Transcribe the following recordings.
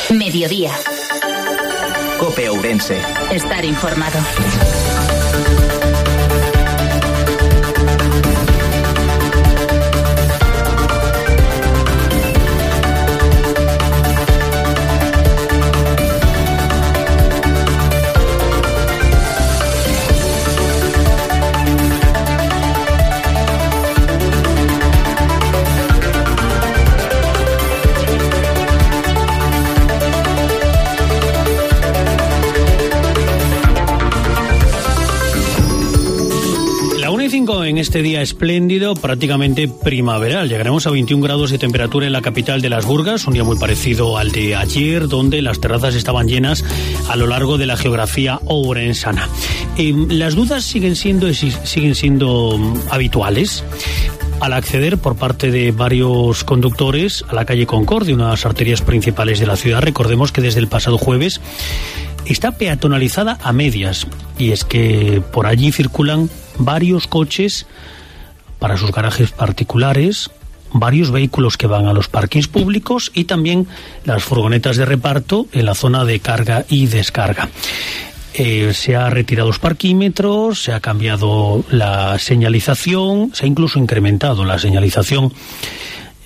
Mediodía. COPE Ourense. Estar informado. En este día espléndido, prácticamente primaveral. Llegaremos a 21 grados de temperatura en la capital de las Burgas, un día muy parecido al de ayer, donde las terrazas estaban llenas a lo largo de la geografía ourensana. Las dudas siguen siendo habituales al acceder por parte de varios conductores a la calle Concordia, una de las arterias principales de la ciudad. Recordemos que desde el pasado jueves está peatonalizada a medias, y es que por allí circulan varios coches para sus garajes particulares, varios vehículos que van a los parkings públicos y también las furgonetas de reparto en la zona de carga y descarga. Se ha retirado los parquímetros, se ha cambiado la señalización, se ha incluso incrementado la señalización.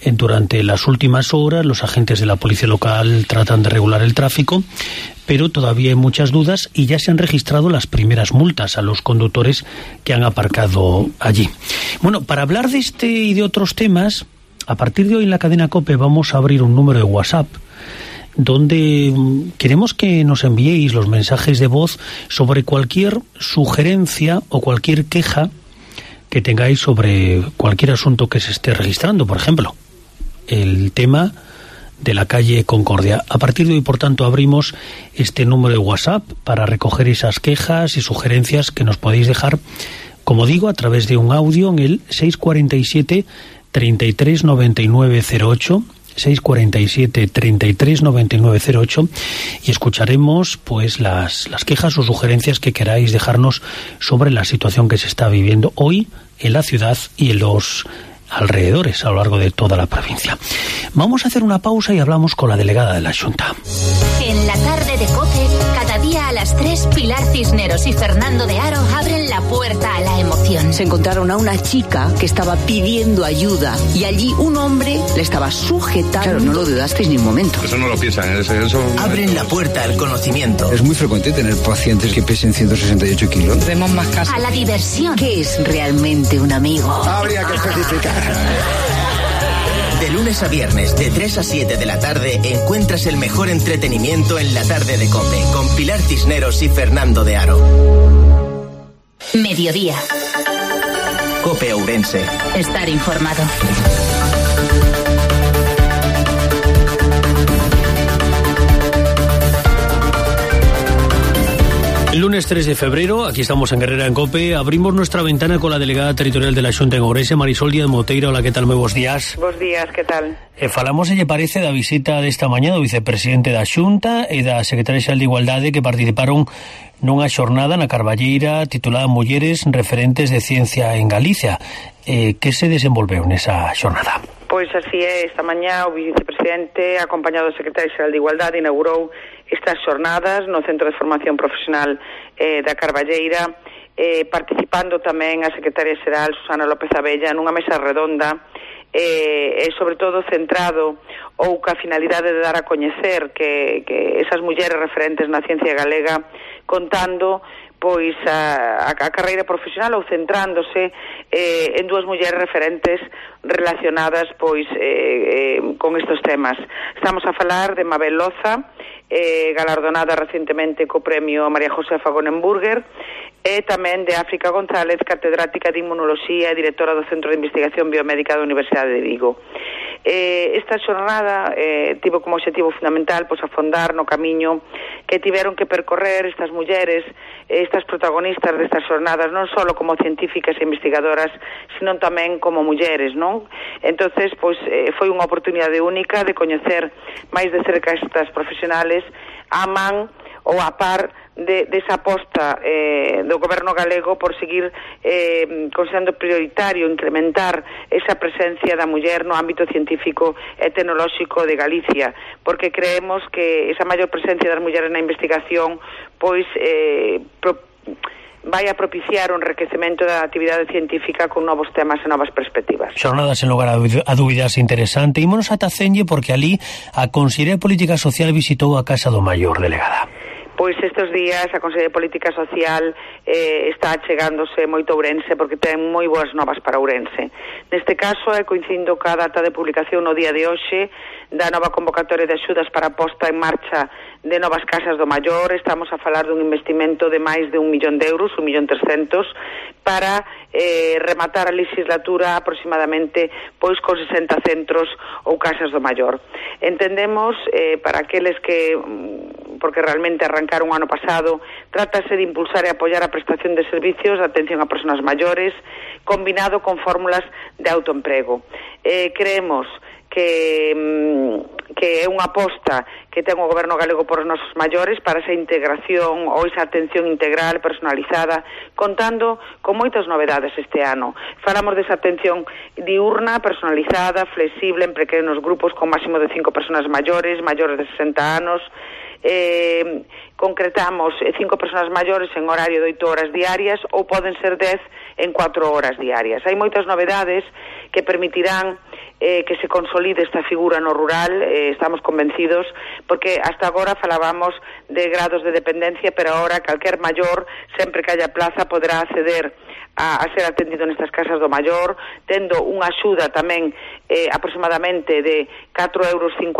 Durante las últimas horas, los agentes de la policía local tratan de regular el tráfico, pero todavía hay muchas dudas y ya se han registrado las primeras multas a los conductores que han aparcado allí. Bueno, para hablar de este y de otros temas, a partir de hoy en la cadena COPE vamos a abrir un número de WhatsApp donde queremos que nos enviéis los mensajes de voz sobre cualquier sugerencia o cualquier queja que tengáis sobre cualquier asunto que se esté registrando. Por ejemplo, el tema de la calle Concordia. A partir de hoy, por tanto, abrimos este número de WhatsApp para recoger esas quejas y sugerencias que nos podéis dejar, como digo, a través de un audio en el 647 33 99 08, 647 33 99 08, y escucharemos pues las quejas o sugerencias que queráis dejarnos sobre la situación que se está viviendo hoy en la ciudad y en los alrededores a lo largo de toda la provincia. Vamos a hacer una pausa y hablamos con la delegada de la Xunta. En la tarde de COPE, cada día a las 3, Pilar Cisneros y Fernando de Aro abren la puerta a la emoción. Se encontraron a una chica que estaba pidiendo ayuda y allí un hombre le estaba sujetando. Claro, no lo dudasteis ni un momento. Eso no lo piensan. Abren la puerta al conocimiento. Es muy frecuente tener pacientes que pesen 168 kilos. Vemos más casos. A la diversión. ¿Qué es realmente un amigo? Habría que especificar. De lunes a viernes, de 3 a 7 de la tarde, encuentras el mejor entretenimiento en la tarde de COPE, con Pilar Cisneros y Fernando de Aro. Mediodía. COPE Ourense. Estar informado. El lunes 3 de febrero, aquí estamos en Guerrera en COPE, abrimos nuestra ventana con la delegada territorial de la Xunta en Ourense, Marisol Díaz Moteira. Hola, ¿qué tal? Moi bons días. Bos días, que tal? Falamos, lle parece, da visita desta mañá do vicepresidente da Xunta e da secretaria xeral de Igualdade, que participaron nunha xornada na Carballeira titulada Mulleres Referentes de Ciencia en Galicia. Que se desenvolveu nesa xornada? Pois así é, esta mañá o vicepresidente, acompañado do secretario xeral de Igualdade, inaugurou estas xornadas no Centro de Formación Profesional da Carballeira, participando tamén a secretaria xeral Susana López Abella nunha mesa redonda, e sobre todo centrado ou ca finalidade de dar a coñecer que esas mulleres referentes na ciencia galega, contando pois a carreira profesional ou centrándose en dúas mulleres referentes relacionadas pois con estos temas. Estamos a falar de Mabel Loza, galardonada recientemente co premio María Josefa Gonenburger, e tamén de África González, catedrática de Inmunoloxía e directora do Centro de Investigación Biomédica da Universidade de Vigo. Esta xornada tivo como objetivo fundamental pois afondar no camiño que tiveron que percorrer estas mulleres, estas protagonistas destas xornadas, non só como científicas e investigadoras, sino tamén como mulleres, non? Entonces, pois foi unha oportunidade única de coñecer máis de cerca estas profesionales a man ou a par desa aposta do goberno galego por seguir considerando prioritario incrementar esa presencia da muller no ámbito científico e tecnolóxico de Galicia, porque creemos que esa maior presencia das mulleres na investigación pois vai a propiciar un enriquecemento da actividade científica con novos temas e novas perspectivas. Xornadas en lugar a dúbidas interesante. Ímonos ata Cenlle porque ali a Consellería de Política Social visitou a Casa do Maior, delegada. Pois estes días a Consellería de Política Social está chegándose moito a Ourense porque ten moi boas novas para Ourense. Neste caso coincidindo ca data de publicación no día de hoxe da nova convocatoria de axudas para a posta en marcha de novas casas do maior. Estamos a falar dun investimento de máis de 1 millón de euros, 1.300.000, para rematar a legislatura aproximadamente pois con 60 centros ou casas do maior. Entendemos, para aqueles que porque realmente arrancaron o ano pasado, trátase de impulsar e apoiar a prestación de servicios de atención a persoas maiores, combinado con fórmulas de autoemprego. Creemos que é unha aposta que ten o goberno galego por os nosos maiores para esa integración ou esa atención integral, personalizada, contando con moitas novedades este ano. Falamos desa atención diurna, personalizada, flexible, en pequenos grupos con máximo de 5 persoas maiores de 60 anos. Concretamos 5 persoas maiores en horario de 8 horas diarias ou poden ser 10 en 4 horas diarias. Hai moitas novedades que permitirán que se consolide esta figura no rural, estamos convencidos, porque hasta agora falábamos de grados de dependencia, pero agora calquer maior, sempre que haya plaza, poderá acceder a ser atendido nestas casas do maior, tendo unha axuda tamén aproximadamente de 4,50 euros, 5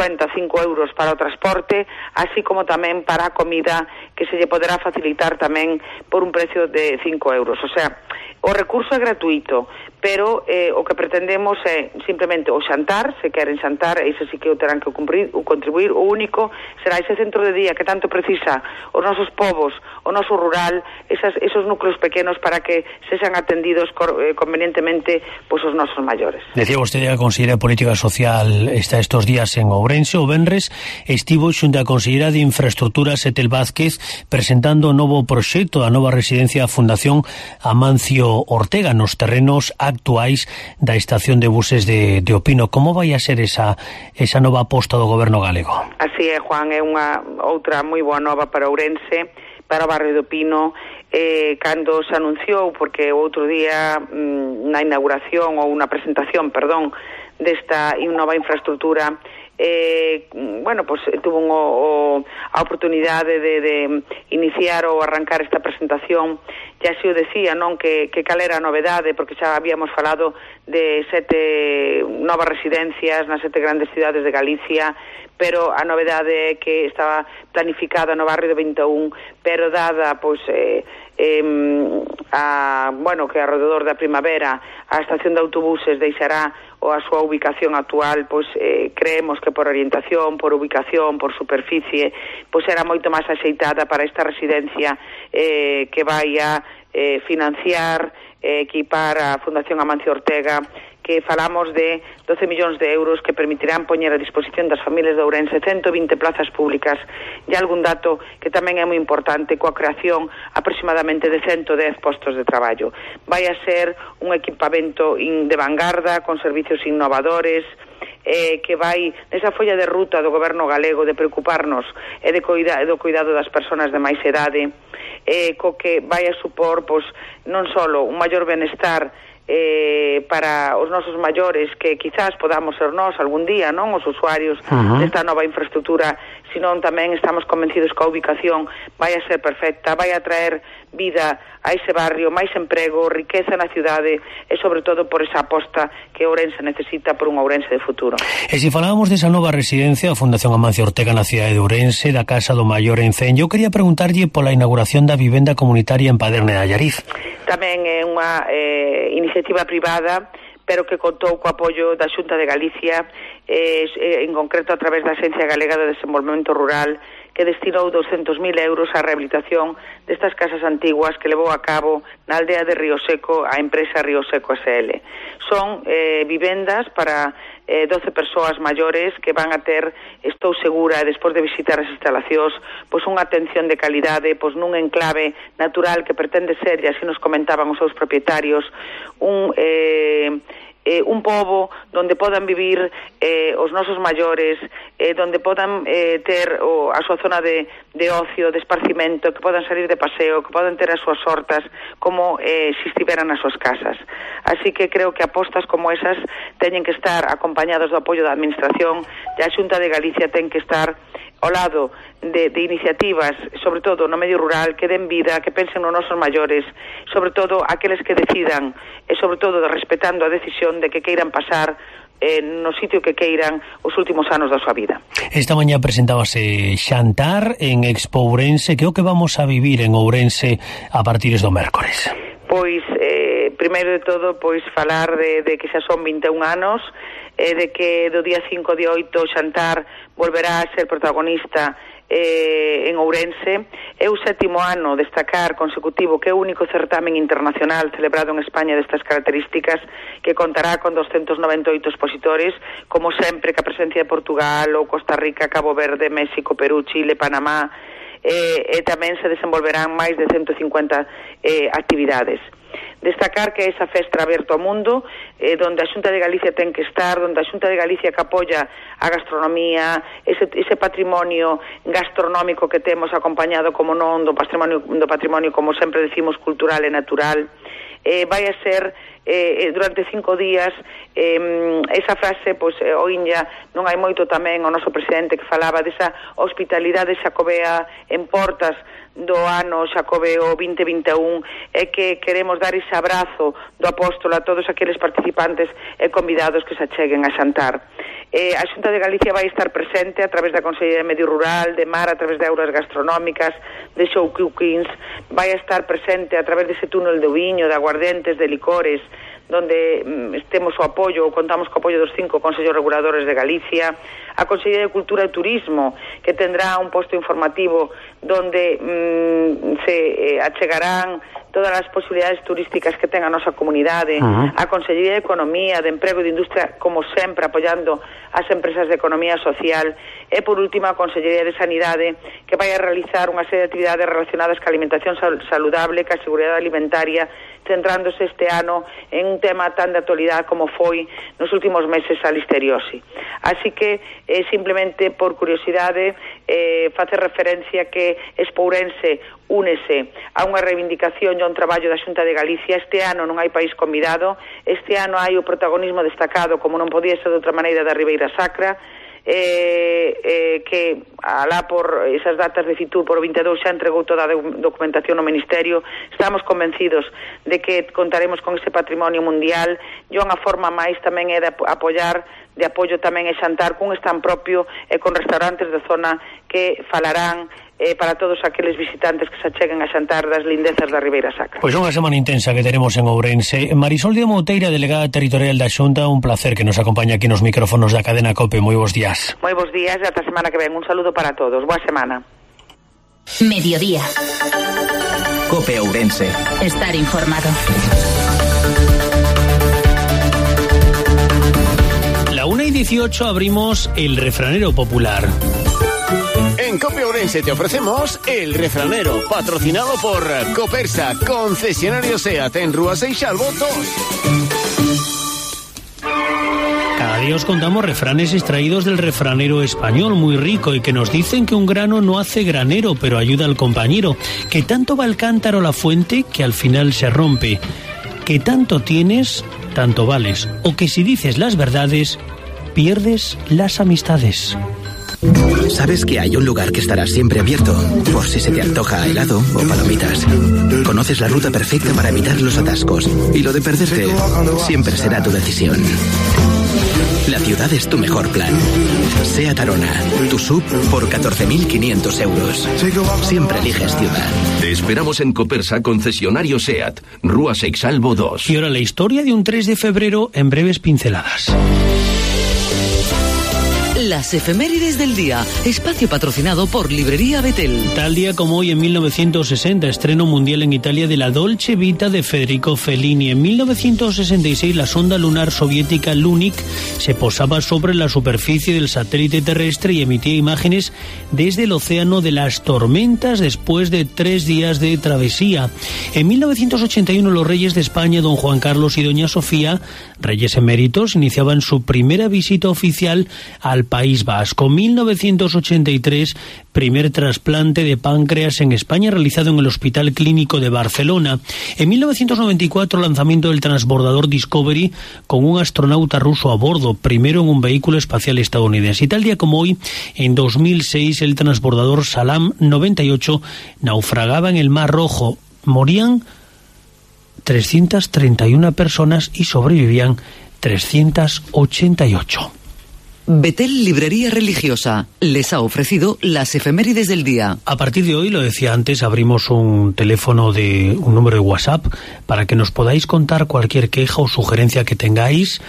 euros para o transporte, así como tamén para a comida, que se lle poderá facilitar tamén por un precio de 5 euros. O sea, o recurso é gratuito, pero o que pretendemos é simplemente o xantar, se queren xantar, iso sí que o terán que contribuir. O único será ese centro de día que tanto precisa os nosos povos, o noso rural, esos núcleos pequenos para que sexan atendidos convenientemente pois os nosos maiores. Decía vostede que a Consellería de Política Social está estes días en Ourense. O venres estivo xunto a Conselleira de Infraestructuras Etel Vázquez presentando o novo proxecto da nova residencia da Fundación Amancio Ortega nos terrenos actuais da estación de buses de Opino. Como vai a ser esa nova aposta do goberno galego? Así é, Juan, é unha outra moi boa nova para Ourense, para o barrio de Opino. Cando se anunciou, porque o outro día na inauguración ou na presentación, desta nova infraestructura, tuvo a oportunidade de iniciar ou arrancar esta presentación. Ya se o decía, non, que cal era a novedade, porque xa habíamos falado de 7 novas residencias nas 7 grandes cidades de Galicia, pero a novedade é que estaba planificada no barrio de 21, pero dada que alrededor da primavera a estación de autobuses deixará a súa ubicación actual, creemos que por orientación, por ubicación, por superficie, era moito máis axeitada para esta residencia que vai a financiar, equipar a Fundación Amancio Ortega, que falamos de 12 millóns de euros que permitirán poñer a disposición das familias de Ourense 120 plazas públicas e algún dato que tamén é moi importante, coa creación aproximadamente de 110 postos de traballo. Vai a ser un equipamento de vanguarda, con servicios innovadores, que vai nesa folla de ruta do goberno galego de preocuparnos e do cuidado das persoas de máis idade, co que vai a supor non só un maior benestar para os nosos maiores, que quizás podamos ser nós algún día, non, os usuarios desta nova infraestructura, senón tamén estamos convencidos que a ubicación vai a ser perfecta, vai a traer vida a ese barrio, máis emprego, riqueza na cidade e sobre todo por esa aposta que Ourense necesita por un Ourense de futuro. E se falábamos desa nova residencia, a Fundación Amancio Ortega na cidade de Ourense, da Casa do Maior en Cenlle, eu quería preguntarlle pola inauguración da vivenda comunitaria en Paderne de Allariz. Tamén é unha iniciativa privada, pero que contou co apoio da Xunta de Galicia, en concreto a través da Axencia Galega de Desenvolvemento Rural, que destinou 200.000 euros á rehabilitación destas casas antiguas que levou a cabo na aldea de Río Seco a empresa Río Seco SL. Son vivendas para 12 persoas maiores que van a ter, estou segura, despois de visitar as instalacións, pois unha atención de calidade, pois nun enclave natural que pretende ser, e así nos comentaban os seus propietarios, un pobo onde podan vivir os nosos maiores, onde podan ter a súa zona de ocio, de esparcimento, que podan salir de paseo, que podan ter as súas hortas como se estiveran nas súas casas. Así que creo que apostas como esas teñen que estar acompañados do apoio da Administración, e a Xunta de Galicia ten que estar ao lado de iniciativas, sobre todo no medio rural, que den vida, que pensen nos nosos maiores, sobre todo aqueles que decidan, e sobre todo respetando a decisión de que queiran pasar no sitio que queiran os últimos anos da súa vida. Esta mañá presentábase xantar en Expo Ourense. Que é o que vamos a vivir en Ourense a partir do mércores? Pois, primeiro de todo, pois falar de que xa son 21 anos, de que do día 5 de 8 o xantar volverá a ser protagonista en Ourense. É o 7º ano destacar consecutivo que é o único certamen internacional celebrado en España destas características, que contará con 298 expositores, como sempre, que a presencia de Portugal ou Costa Rica, Cabo Verde, México, Perú, Chile, Panamá, e tamén se desenvolverán máis de 150 actividades. Destacar que esa festa aberta ao mundo, donde a Xunta de Galicia ten que estar, donde a Xunta de Galicia que apoia a gastronomía, ese patrimonio gastronómico que temos acompañado, como non, do patrimonio, como sempre decimos, cultural e natural, vai a ser durante 5 días esa frase, pois oínlla, non hai moito tamén o noso presidente que falaba desa hospitalidade xacobea en portas do ano xacobeo 2021, é que queremos dar ese abrazo do apóstolo a todos aqueles participantes e convidados que se acheguen a xantar. A Xunta de Galicia vai estar presente a través da Consellería de Medio Rural, de Mar, a través de aulas gastronómicas, de show cookings, vai estar presente a través dese túnel de viño, de aguardentes, de licores, donde temos o apoio, ou contamos co apoio dos 5 Consellos Reguladores de Galicia, a Consellería de Cultura e Turismo, que tendrá un posto informativo donde se achegarán todas as posibilidades turísticas que ten a nosa comunidade, a Consellería de Economía, de Emprego e de Industria, como sempre, apoiando as empresas de economía social, e, por último, a Consellería de Sanidade, que vai a realizar unha serie de actividades relacionadas ca alimentación saludable, ca seguridade alimentaria, centrándose este ano en un tema tan de actualidade como foi nos últimos meses a listeriose. Así que, simplemente por curiosidade, facer referencia que Expo Ourense únese a unha reivindicación e a un traballo da Xunta de Galicia. Este ano non hai país convidado, este ano hai o protagonismo destacado, como non podía ser de outra maneira, da Ribeira Sacra, que alá por esas datas de Fitur por 22 xa entregou toda a documentación no Ministerio. Estamos convencidos de que contaremos con ese patrimonio mundial, e unha forma máis tamén é de apoio tamén é xantar cun stand propio e con restaurantes da zona que falarán para todos aqueles visitantes que se acheguen a xantar das lindezas da Ribeira Sacra. Pois unha semana intensa que teremos en Ourense. Marisol de Mouteira, delegada territorial da Xunta, un placer que nos acompaña aquí nos micrófonos da cadena COPE. Moi bons días. Moi bons días e ata semana que ven. Un saludo para todos. Boa semana. Mediodía. COPE Ourense. Estar informado. La 1:18 abrimos el refranero popular. En COPE Ourense te ofrecemos El Refranero, patrocinado por Copersa, concesionario SEAT en Rúa Seixalbo 2. Cada día os contamos refranes extraídos del refranero español, muy rico, y que nos dicen que un grano no hace granero, pero ayuda al compañero, que tanto va el cántaro a la fuente que al final se rompe, que tanto tienes, tanto vales, o que si dices las verdades, pierdes las amistades. ¿Sabes que hay un lugar que estará siempre abierto? Por si se te antoja helado o palomitas. Conoces la ruta perfecta para evitar los atascos. Y lo de perderte siempre será tu decisión. La ciudad es tu mejor plan. SEAT Arona, tu SUV por 14.500 euros. Siempre eliges ciudad. Te esperamos en Copersa, concesionario SEAT, Rúa Seixalbo 2. Y ahora la historia de un 3 de febrero en breves pinceladas. las efemérides del día. Espacio patrocinado por Librería Betel. Tal día como hoy, en 1960, estreno mundial en Italia de la Dolce Vita de Federico Fellini. En 1966, la sonda lunar soviética Lunik se posaba sobre la superficie del satélite terrestre y emitía imágenes desde el océano de las tormentas después de 3 días de travesía. En 1981, los reyes de España, don Juan Carlos y doña Sofía, reyes eméritos, iniciaban su primera visita oficial al País Vasco. 1983, primer trasplante de páncreas en España realizado en el Hospital Clínico de Barcelona. En 1994, lanzamiento del transbordador Discovery con un astronauta ruso a bordo, primero en un vehículo espacial estadounidense. Y tal día como hoy, en 2006, el transbordador Salam 98 naufragaba en el Mar Rojo. Morían 331 personas y sobrevivían 388. Betel Librería Religiosa les ha ofrecido las efemérides del día. A partir de hoy, lo decía antes, abrimos un número de WhatsApp para que nos podáis contar cualquier queja o sugerencia que tengáis.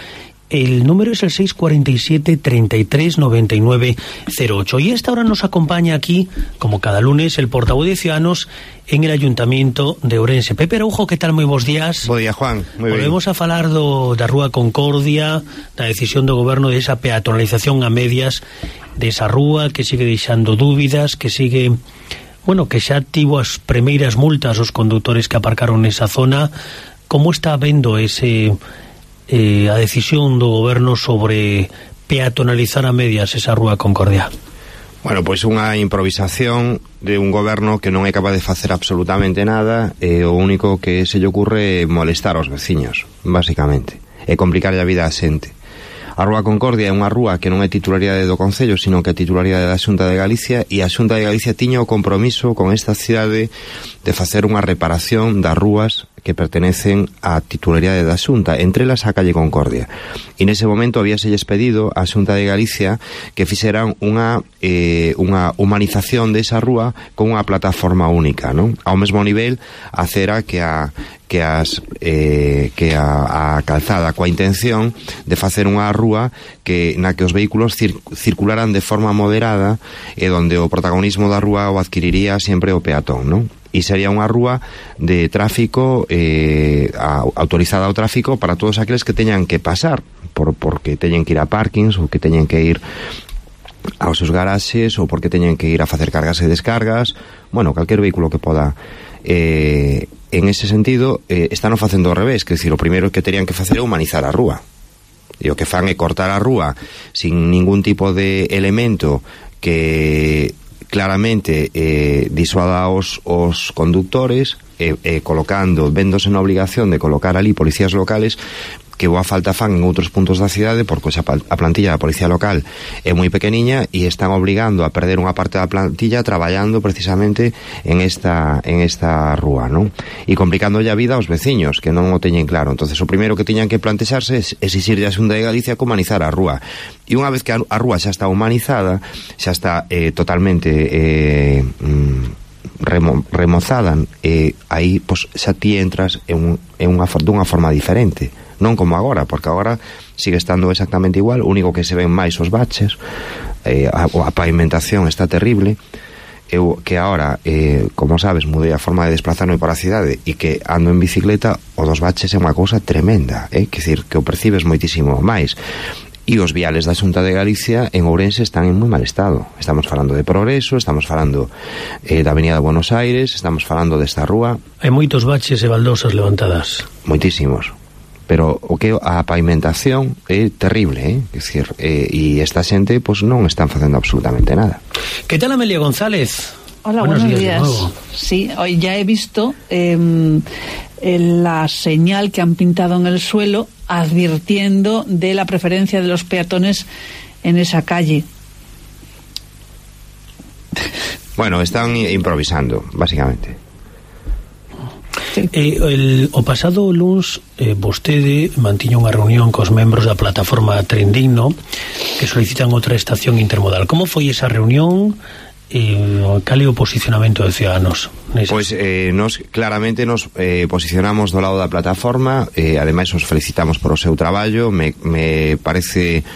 El número es el 647 33 99 08. Y a esta hora nos acompaña aquí, como cada lunes, el portavoz de Ciudadanos en el Ayuntamiento de Ourense. Pepe Araujo, ¿qué tal? Moi bons días. Bo día, Juan. Moi Volvemos a falar da Rúa Concordia, da decisión do goberno de esa peatonalización a medias desa rúa que sigue deixando dúbidas, que sigue... Bueno, que xa tivo as primeiras multas os condutores que aparcaron nesa zona. Como está vendo a decisión do goberno sobre peatonalizar a medias esa Rúa Concordia? Bueno, pois unha improvisación de un goberno que non é capaz de facer absolutamente nada, e o único que se lle ocurre é molestar aos veciños, basicamente, e complicarlle a vida á xente. A Rúa Concordia é unha rúa que non é titularidade do Concello, sino que é titularidade da Xunta de Galicia, e a Xunta de Galicia tiña o compromiso con esta cidade de facer unha reparación das rúas que pertenecen á titularidade da Xunta, entre elas a calle Concordia. E nese momento habíaselles pedido á Xunta de Galicia que fixeran unha humanización desa rúa con unha plataforma única, non? Ao mesmo nivel a acera que a calzada, coa intención de facer unha rúa na que os vehículos circularan de forma moderada e donde o protagonismo da rúa o adquiriría sempre o peatón, non? E sería unha rúa de tráfico autorizada ao tráfico para todos aqueles que teñan que pasar porque teñen que ir a parkings ou que teñen que ir aos seus garaxes ou porque teñen que ir a facer cargas e descargas, bueno, calquer vehículo que poda. En ese sentido, están facendo ao revés, que decir, o primeiro que terían que facer é humanizar a rúa, e o que fan é cortar a rúa sin ningún tipo de elemento que claramente disuada os conductores, véndose na obligación de colocar ali policías locales que boa falta fan en outros puntos da cidade, porque a plantilla da policía local é moi pequeniña e están obligando a perder unha parte da plantilla traballando precisamente en esta rúa, non? E complicándolle a vida aos veciños que non o teñen claro. Entonces o primeiro que tiñan que plantexarse é exixirlle a Xunta de Galicia que humanizar a rúa. E unha vez que a rúa xa está humanizada, xa está totalmente remozada, aí pois, xa ti entras dunha forma diferente, non como agora, porque agora sigue estando exactamente igual, o único que se ven máis os baches, a pavimentación está terrible. Eu que agora, como sabes, mudei a forma de desplazarme por a cidade e que ando en bicicleta, o dos baches é unha cousa tremenda, quer dicir, que o percibes moitísimo máis. E os viales da Xunta de Galicia en Ourense están en moi mal estado. Estamos falando de Progreso, estamos falando da Avenida de Buenos Aires, estamos falando desta rúa. Hai moitos baches e baldosas levantadas. Moitísimos. Pero o que a pavimentación é terrible, é dicir, e esta xente pois non están facendo absolutamente nada. Que tal, Amelia González? Hola, buenos días. Sí, hoy ya he visto la señal que han pintado en el suelo advirtiendo de la preferencia de los peatones en esa calle. Bueno, están improvisando, básicamente. O pasado luns vostede mantiña unha reunión cos membros da plataforma Tren Digno que solicitan outra estación intermodal. Como foi esa reunión? Cal é o posicionamento de Ciudadanos? Pois nos claramente nos posicionamos do lado da plataforma, ademais os felicitamos por o seu traballo. Me parece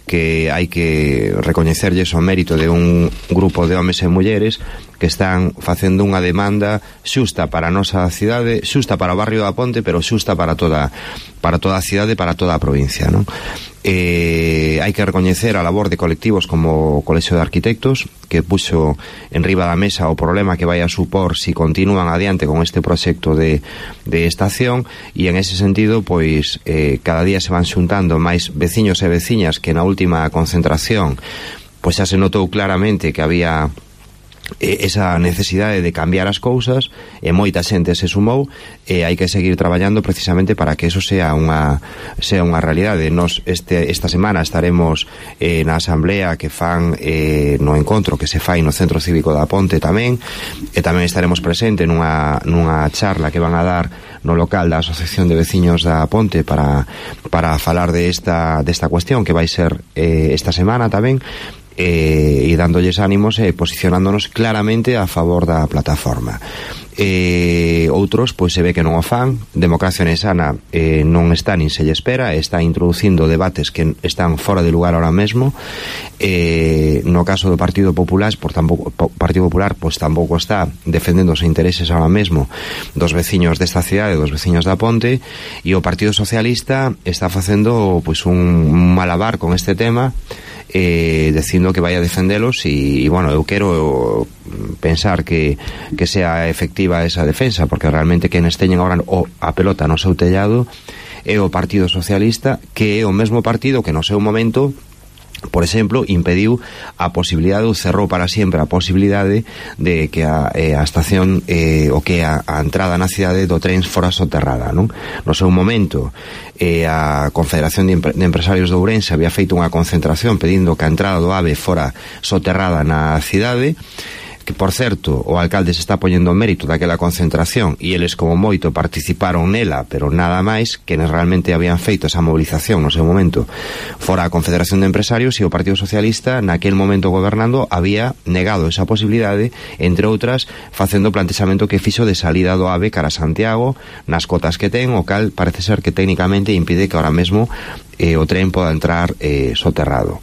que hai que recoñecerlles o mérito de un grupo de homes e mulleres que están facendo unha demanda xusta para a nosa cidade, xusta para o barrio da Ponte, pero xusta para toda a cidade, para toda a provincia, non? Hai que recoñecer a labor de colectivos como o Colexio de Arquitectos, que puxo en riba da mesa o problema que vai a supor si continúan adiante con este proxecto de estación, e en ese sentido, pois, cada día se van xuntando máis veciños e veciñas que na última concentración pois xa se notou claramente que había esa necesidade de cambiar as cousas, e moita xente se sumou, e hai que seguir traballando precisamente para que eso sea unha realidade. Nos esta semana estaremos na asamblea que fan no encontro que se fai no Centro Cívico da Ponte tamén, e tamén estaremos presente nunha charla que van a dar no local da Asociación de Veciños da Ponte para falar desta cuestión que vai ser esta semana tamén, e dándolles ánimos e posicionándonos claramente a favor da plataforma. Outros, pois se ve que non o fan. Democracia Nesana non está nin se lle espera, está introducindo debates que están fora de lugar ahora mesmo. No caso do Partido Popular, pois tampouco está defendendo os intereses ahora mesmo dos veciños desta cidade, dos veciños da Ponte, e o Partido Socialista está facendo pois un malabar con este tema, dicindo que vai a defendelos, e bueno, eu quero pensar que sea efectiva esa defensa, porque realmente quenes teñen agora a pelota no seu tellado é o Partido Socialista, que é o mesmo partido que no seu momento, por exemplo, impediu a posibilidade, ou cerrou para sempre a posibilidade de que a estación o que a entrada na cidade do tren fora soterrada, non? No seu momento a Confederación de Empresarios de Ourense había feito unha concentración pedindo que a entrada do AVE fora soterrada na cidade, que, por certo, o alcalde se está poñendo o mérito daquela concentración, e eles como moito participaron nela, pero nada máis, que realmente habían feito esa movilización no seu momento fora a Confederación de Empresarios, e o Partido Socialista naquel momento gobernando había negado esa posibilidade, entre outras facendo o plantexamento que fixo de salida do AVE cara a Santiago nas cotas que ten, o cal parece ser que técnicamente impide que ahora mesmo o tren poda entrar soterrado.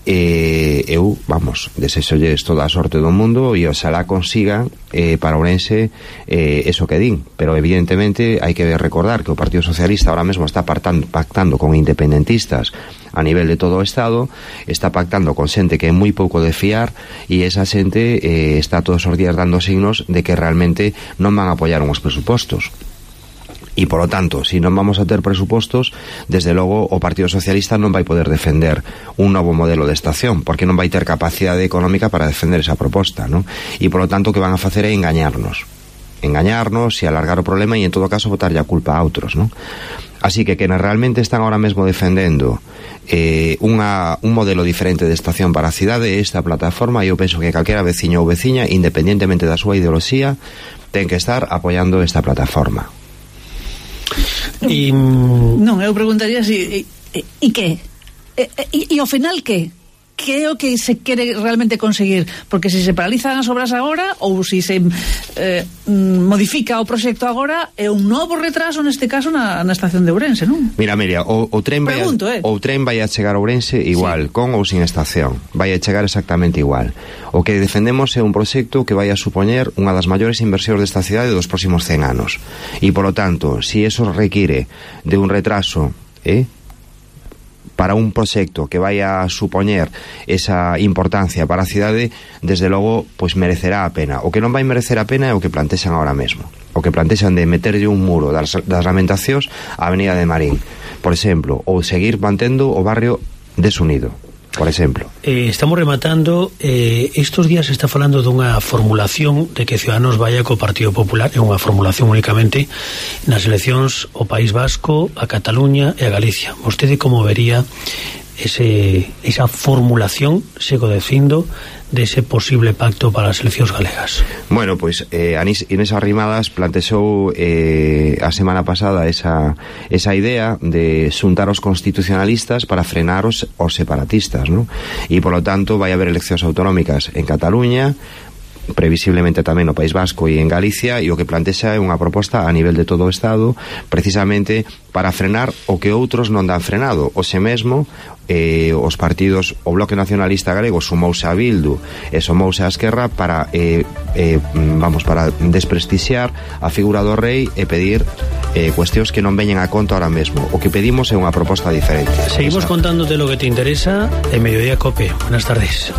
Eu, vamos, desexolles toda a sorte do mundo, e oxalá consigan para Ourense eso que din, pero evidentemente hai que recordar que o Partido Socialista ahora mesmo está pactando con independentistas a nivel de todo o Estado, está pactando con xente que é moi pouco de fiar, e esa xente está todos os días dando signos de que realmente non van a apoiar uns presupostos. E, por lo tanto, se non vamos a ter presupostos, desde logo o Partido Socialista non vai poder defender un novo modelo de estación, porque non vai ter capacidade económica para defender esa proposta, non? E, por lo tanto, o que van a facer é engañarnos e alargar o problema, e, en todo caso, botarlle a culpa a outros, non? Así que quenes realmente están ahora mesmo defendendo un modelo diferente de estación para a cidade, esta plataforma, e eu penso que calquera veciño ou veciña, independentemente da súa ideoloxía, ten que estar apoiando esta plataforma. Non, eu preguntaría si e que? E ao final que? Que é o que se quere realmente conseguir? Porque se se paralizan as obras agora, ou se modifica o proxecto agora, é un novo retraso neste caso na estación de Ourense, non? Mira, o tren vai a chegar a Ourense igual, sí, con ou sin estación. Vai a chegar exactamente igual. O que defendemos é un proxecto que vai a supoñer unha das maiores inversións desta cidade dos próximos 100 anos. E, polo tanto, si eso require de un retraso, para un proxecto que vai a supoñer esa importancia para a cidade, desde logo, pois merecerá a pena. O que non vai merecer a pena é o que plantexan ahora mesmo. O que plantexan de meterlle un muro das Lamentacións á Avenida de Marín, por exemplo, ou seguir mantendo o barrio desunido, por exemplo. Estamos rematando. Estos días se está falando dunha formulación de que Ciudadanos vaya co Partido Popular, é unha formulación únicamente nas eleccións ao País Vasco, a Cataluña e a Galicia. Vostede como vería esa formulación, sigo dicindo, dese posible pacto para as eleccións galegas? Bueno, pois Inés Arrimadas plantexou a semana pasada esa idea de xuntar os constitucionalistas para frenar os separatistas, non? E, polo tanto, vai haber eleccións autonómicas en Cataluña, previsiblemente tamén no País Vasco e en Galicia, e o que plantexa é unha proposta a nivel de todo o Estado, precisamente para frenar o que outros non dan frenado. O se mesmo os partidos, o Bloque Nacionalista Galego sumouse a Bildu e sumouse a Esquerra para para desprestixiar a figura do rei e pedir cuestións que non veñen a conta ahora mesmo. O que pedimos é unha proposta diferente. Seguimos contándote lo que te interesa en Mediodía Cope. Buenas tardes.